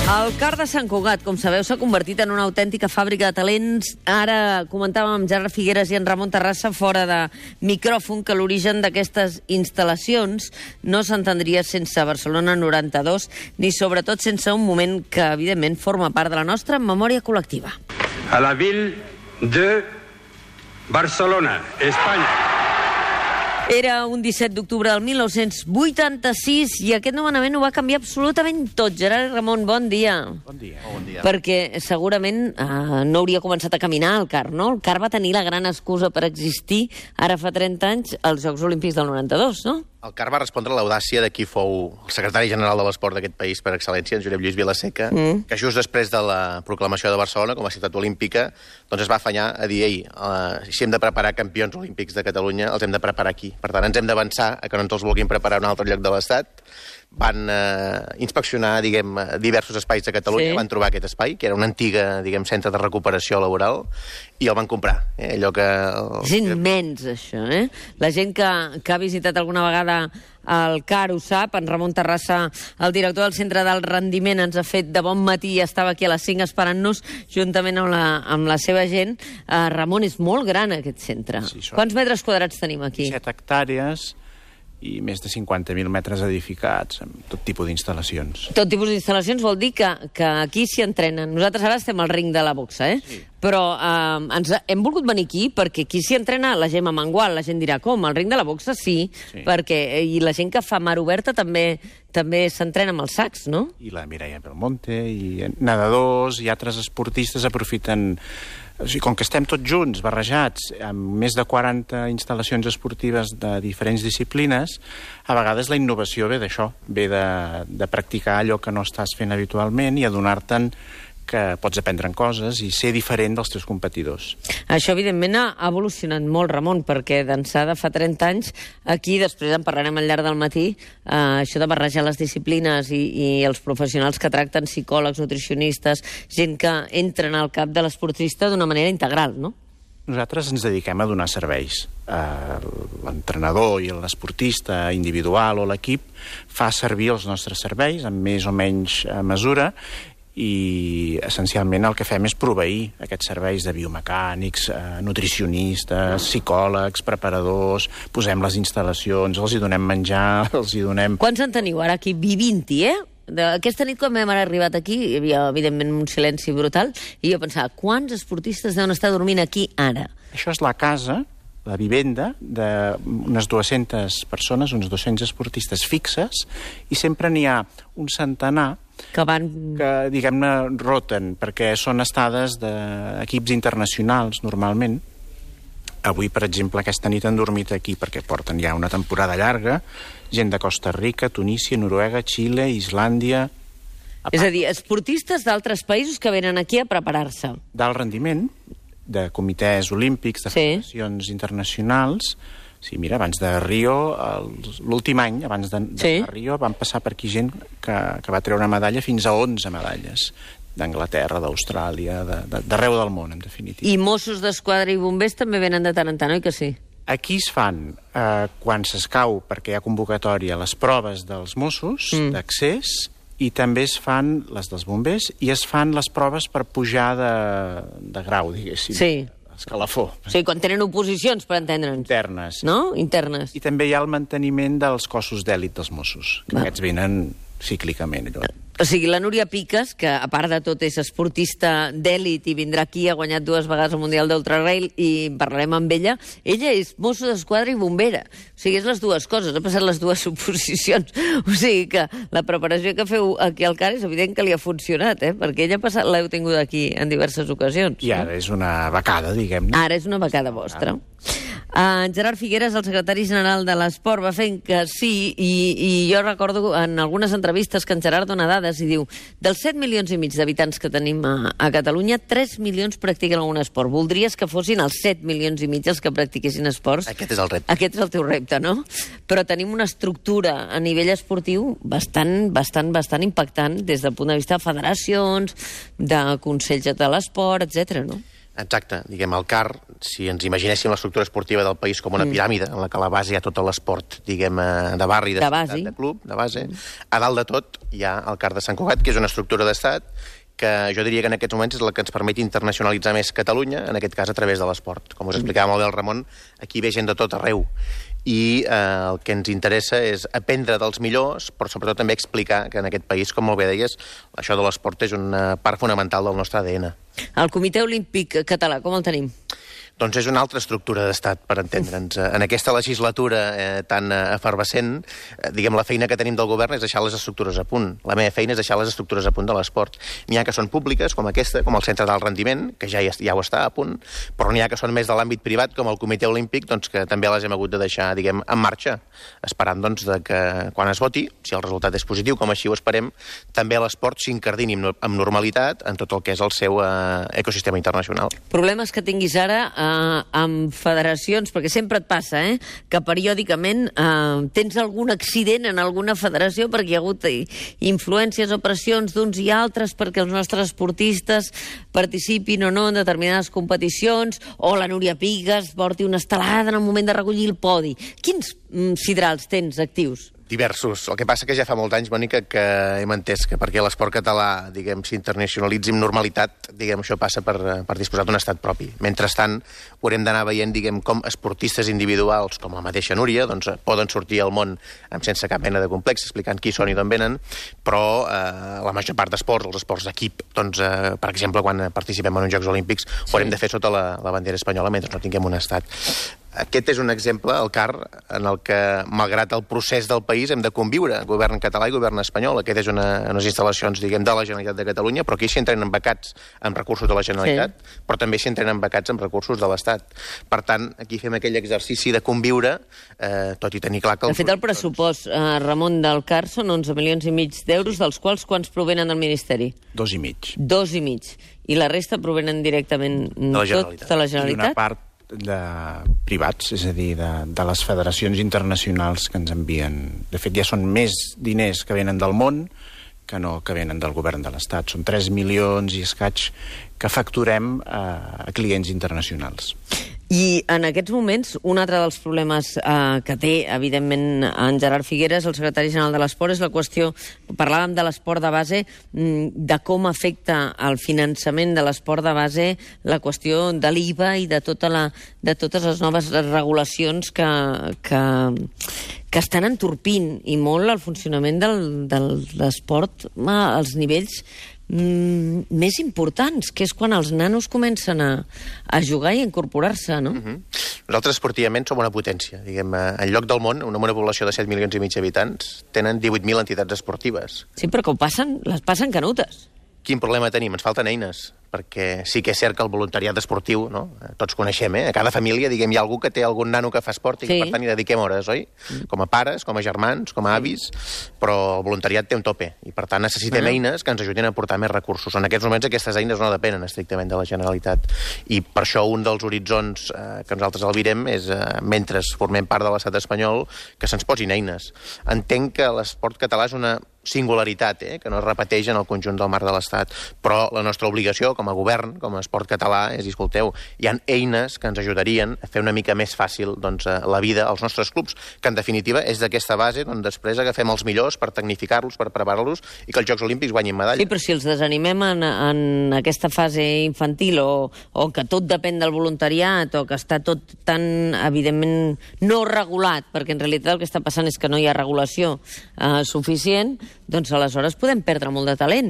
El CAR de Sant Cugat, com sabeu, s'ha convertit en una autèntica fàbrica de talents. Ara comentàvem amb Gerard Figueres i en Ramon Terrassa fora de micròfon que l'origen d'aquestes instal·lacions no s'entendria sense Barcelona 92, ni sobretot sense un moment que, evidentment, forma part de la nostra memòria col·lectiva. A la ville de Barcelona, Espanya. Era un 17 d'octubre del 1986 i aquest nomenament ho va canviar absolutament tot. Gerard i Ramon, bon dia. Bon dia. Perquè segurament no hauria començat a caminar el CAR, no? El CAR va tenir la gran excusa per existir ara fa 30 anys als Jocs Olímpics del 92, no? El CAR va respondre a l'audàcia de qui fou el secretari general de l'esport d'aquest país per excel·lència, en Josep Lluís Vilaseca, que just després de la proclamació de Barcelona com a ciutat olímpica doncs es va afanyar a dir, si hem de preparar campions olímpics de Catalunya, els hem de preparar aquí. Per tant, ens hem d'avançar a que no ens els vulguin preparar a un altre lloc de l'Estat. Van inspeccionar, diversos espais de Catalunya, van trobar aquest espai, que era una antiga, centre de recuperació laboral, i el van comprar. Allò que... És immens, això, eh? La gent que ha visitat alguna vegada el CAR ho sap. En Ramon Terrassa, el director del Centre d'Alt Rendiment, ens ha fet de bon matí i estava aquí a les 5 esperant-nos, juntament amb la seva gent. Ramon, és molt gran aquest centre. Sí, quants metres quadrats tenim aquí? 17 hectàrees i més de 50.000 metres edificats, amb tot tipus d'instal·lacions. Tot tipus d'instal·lacions vol dir que aquí s'hi entrenen. Nosaltres ara estem al ring de la boxa, sí. Però hem volgut venir aquí perquè aquí s'hi entrena la Gemma Mengual. La gent dirà, com? Al ring de la boxa? Sí. I la gent que fa mar oberta també s'entrena amb els sacs, no? I la Mireia Belmonte, i nedadors, i altres esportistes aprofiten... O sigui, com que estem tots junts, barrejats, amb més de 40 instal·lacions esportives de diferents disciplines, a vegades la innovació ve d'això, ve de practicar allò que no estàs fent habitualment i adonar-te'n que pots aprendre coses i ser diferent dels teus competidors. Això, evidentment, ha evolucionat molt, Ramon, perquè d'ençà de fa 30 anys, aquí, després en parlarem al llarg del matí, això de barrejar les disciplines i els professionals que tracten, psicòlegs, nutricionistes, gent que entren al cap de l'esportista d'una manera integral, no? Nosaltres ens dediquem a donar serveis. L'entrenador i l'esportista individual o l'equip fa servir els nostres serveis en més o menys mesura i essencialment el que fem és proveir aquests serveis de biomecànics, nutricionistes, psicòlegs, preparadors, posem les instal·lacions, els hi donem menjar, els hi donem... Quants en teniu ara aquí? 20, Aquesta nit, quan vam arribat aquí, hi havia, evidentment, un silenci brutal, i jo pensava, quants esportistes deuen estar dormint aquí ara? Això és la casa, la vivenda, d'unes 200 persones, uns 200 esportistes fixes, i sempre n'hi ha un centenar que, diguem-ne, roten, perquè són estades d'equips internacionals, normalment. Avui, per exemple, aquesta nit han dormit aquí perquè porten ja una temporada llarga, gent de Costa Rica, Tunísia, Noruega, Xile, Islàndia... És a dir, esportistes d'altres països que venen aquí a preparar-se. D'alt rendiment, de comitès olímpics, de federacions internacionals... Sí, mira, abans de Rio, l'últim any, abans de Rio, van passar per aquí gent que va treure una medalla fins a 11 medalles, d'Anglaterra, d'Austràlia, d'arreu del món, en definitiva. I Mossos d'Esquadra i bombers també venen de tant en tant, oi que sí? Aquí es fan, quan s'escau, perquè hi ha convocatòria, les proves dels Mossos d'accés, i també es fan les dels bombers, i es fan les proves per pujar de grau, diguéssim. Sí. Escalafó. Sí, quan tenen oposicions, per entendre'ns. Internes. No? Internes. I també hi ha el manteniment dels cossos d'èlit dels Mossos, que aquests venen cíclicament. O sigui, la Núria Piques, que a part de tot és esportista d'èlit i vindrà aquí, ha guanyat 2 vegades el Mundial d'Ultrarail i parlarem amb ella és mosso d'esquadra i bombera. O sigui, és les dues coses, ha passat les dues oposicions. O sigui que la preparació que feu aquí al CAR és evident que li ha funcionat, perquè ella l'heu tingut aquí en diverses ocasions. I ara és una becada, diguem-ne. Ara és una becada vostra. Gerard Figueres, el secretari general de l'Esport, va fent que sí, i jo recordo en algunes entrevistes que en Gerard dona dades i diu, dels 7 milions i mig d'habitants que tenim a Catalunya, 3 milions practiquen algun esport. Voldries que fossin els 7 milions i mig els que practiquessin esports? Aquest és el repte. Aquest és el teu repte, no? Però tenim una estructura a nivell esportiu bastant impactant des del punt de vista de federacions, de consells de l'esport, etc. no? Exacte. Diguem, el CAR, si ens imaginéssim l'estructura esportiva del país com una piràmide, en la que a la base hi ha tot l'esport, diguem, de barri, de ciutat, de club, de base, a dalt de tot hi ha el CAR de Sant Cugat, que és una estructura d'estat que jo diria que en aquests moments és la que ens permet internacionalitzar més Catalunya, en aquest cas a través de l'esport. Com us explicava molt bé el Ramon, aquí ve gent de tot arreu. I el que ens interessa és aprendre dels millors, però sobretot també explicar que en aquest país, com molt bé deies, això de l'esport és una part fonamental del nostre ADN. El Comitè Olímpic Català, com el tenim? Doncs és una altra estructura d'estat, per entendre'ns. En aquesta legislatura tan efervescent, diguem, la feina que tenim del govern és deixar les estructures a punt. La meva feina és deixar les estructures a punt de l'esport. N'hi ha que són públiques, com aquesta, com el Centre d'Alt Rendiment, que ja ho està a punt, però n'hi ha que són més de l'àmbit privat, com el Comitè Olímpic, doncs, que també les hem hagut de deixar, diguem, en marxa, esperant doncs, que quan es voti, si el resultat és positiu, com així ho esperem, també l'esport s'incardini amb normalitat en tot el que és el seu ecosistema internacional. Problemes que tinguis ara amb federacions, perquè sempre et passa, que periòdicament tens algun accident en alguna federació perquè hi ha hagut influències o pressions d'uns i altres perquè els nostres esportistes participin o no en determinades competicions, o la Núria Pigues porti una estelada en el moment de recollir el podi. Quins sidrals tens actius? Diversos. El que passa que ja fa molts anys, Mònica, que hem entès que perquè l'esport català, diguem, s'internacionalitzi amb normalitat, diguem, això passa per disposar d'un estat propi. Mentrestant, haurem d'anar veient, diguem, com esportistes individuals, com la mateixa Núria, doncs, poden sortir al món sense cap mena de complex, explicant qui són i d'on venen, però la major part d'esports, els esports d'equip, doncs, per exemple, quan participem en uns Jocs Olímpics, ho haurem de fer sota la bandera espanyola mentre no tinguem un estat. Aquest és un exemple, el CAR, en el que, malgrat el procés del país, hem de conviure, govern català i govern espanyol. Aquest és unes instal·lacions, diguem, de la Generalitat de Catalunya, però aquí s'hi entrenen becats amb recursos de la Generalitat, però també s'hi entrenen becats amb recursos de l'Estat. Per tant, aquí fem aquell exercici de conviure, tot i tenir clar que... De fet, el pressupost, Ramon, del CAR són 11,5 milions d'euros, dels quals quants provenen del Ministeri? 2,5. 2,5. I la resta provenen directament de la Generalitat? I una part de privats, és a dir, de les federacions internacionals que ens envien. De fet, ja són més diners que venen del món que no que venen del govern de l'Estat. Són 3 milions i escaig que facturem a clients internacionals. I en aquests moments, un altre dels problemes que té, evidentment, en Gerard Figueres, el secretari general de l'Esport, és la qüestió, parlàvem de l'esport de base, de com afecta el finançament de l'esport de base la qüestió de l'IVA i de totes les noves regulacions que estan entorpint i molt el funcionament de l'esport als nivells més importants, que és quan els nanos comencen a jugar i a incorporar-se, no? Nosaltres esportivament som una potència. Diguem, en lloc del món, una població de 7 milions i mig d'habitants, tenen 18.000 entitats esportives. Sí, però que les passen canutes. Quin problema tenim? Ens falten eines, perquè sí que és cert que el voluntariat esportiu, no? Tots coneixem, a cada família, diguem, hi ha algú que té algun nano que fa esport i que, per tant, hi dediquem hores, oi? Com a pares, com a germans, com a avis, però el voluntariat té un tope i, per tant, necessitem eines que ens ajudin a aportar més recursos. En aquests moments aquestes eines no depenen estrictament de la Generalitat i per això un dels horitzons que nosaltres albirem és, mentre formem part de l'estat espanyol, que se'ns posin eines. Entenc que l'esport català és una singularitat, que no es repeteix en el conjunt del marc de l'Estat, però la nostra obligació com a govern, com a esport català, és dir, escolteu, hi ha eines que ens ajudarien a fer una mica més fàcil la vida als nostres clubs, que en definitiva és d'aquesta base on després agafem els millors per tecnificar-los, per preparar-los i que els Jocs Olímpics guanyin medalles. Sí, però si els desanimem en aquesta fase infantil o que tot depèn del voluntariat o que està tot tan, evidentment, no regulat, perquè en realitat el que està passant és que no hi ha regulació suficient, doncs aleshores podem perdre molt de talent.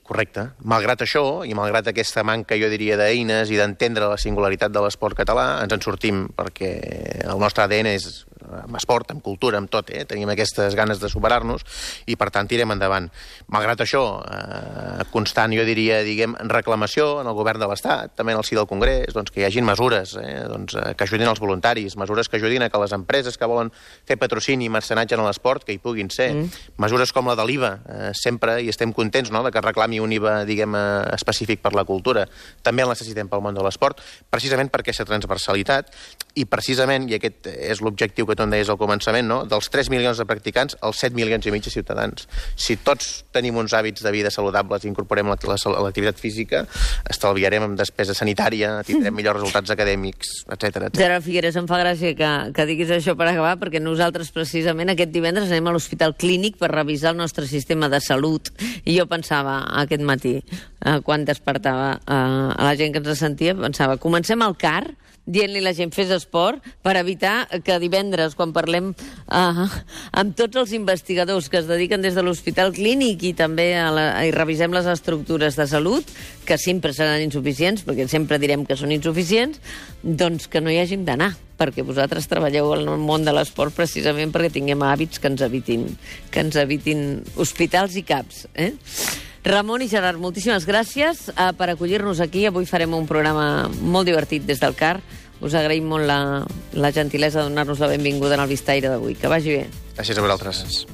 Correcte. Malgrat això, i malgrat aquesta manca, jo diria, d'eines i d'entendre la singularitat de l'esport català, ens en sortim perquè el nostre ADN és amb esport, amb cultura, amb tot, tenim aquestes ganes de superar-nos i, per tant, tirem endavant. Malgrat això, constant, jo diria, diguem, reclamació en el govern de l'Estat, també en el si del Congrés, doncs, que hi hagin mesures que ajudin els voluntaris, mesures que ajudin a que les empreses que volen fer patrocini i mecenatge en l'esport, que hi puguin ser. Mesures com la de l'IVA, sempre, i estem contents, no?, de que reclami un IVA, diguem, específic per la cultura. També el necessitem pel món de l'esport, precisament per aquesta transversalitat I precisament, i aquest és l'objectiu que tu em deies al començament, no? Dels 3 milions de practicants, els 7 milions i mig de ciutadans. Si tots tenim uns hàbits de vida saludables i incorporem l'activitat física, estalviarem amb despesa sanitària, tindrem millors resultats acadèmics, etc. Gerard Figueres, em fa gràcia que diguis això per acabar, perquè nosaltres precisament aquest divendres anem a l'Hospital Clínic per revisar el nostre sistema de salut. I jo pensava aquest matí, quan despertava a la gent que ens sentia, pensava, comencem al CAR, dient-li a la gent fes esport per evitar que divendres, quan parlem amb tots els investigadors que es dediquen des de l'Hospital Clínic i també i revisem les estructures de salut, que sempre seran insuficients, perquè sempre direm que són insuficients, doncs que no hi hàgim d'anar, perquè vosaltres treballeu en el món de l'esport precisament perquè tinguem hàbits que ens evitin hospitals i CAPs. Ramon i Gerard, moltíssimes gràcies per acollir-nos aquí. Avui farem un programa molt divertit des del CAR. Us agraïm molt la gentilesa de donar-nos la benvinguda en el Vistaire d'avui. Que vagi bé. Gràcies a vosaltres.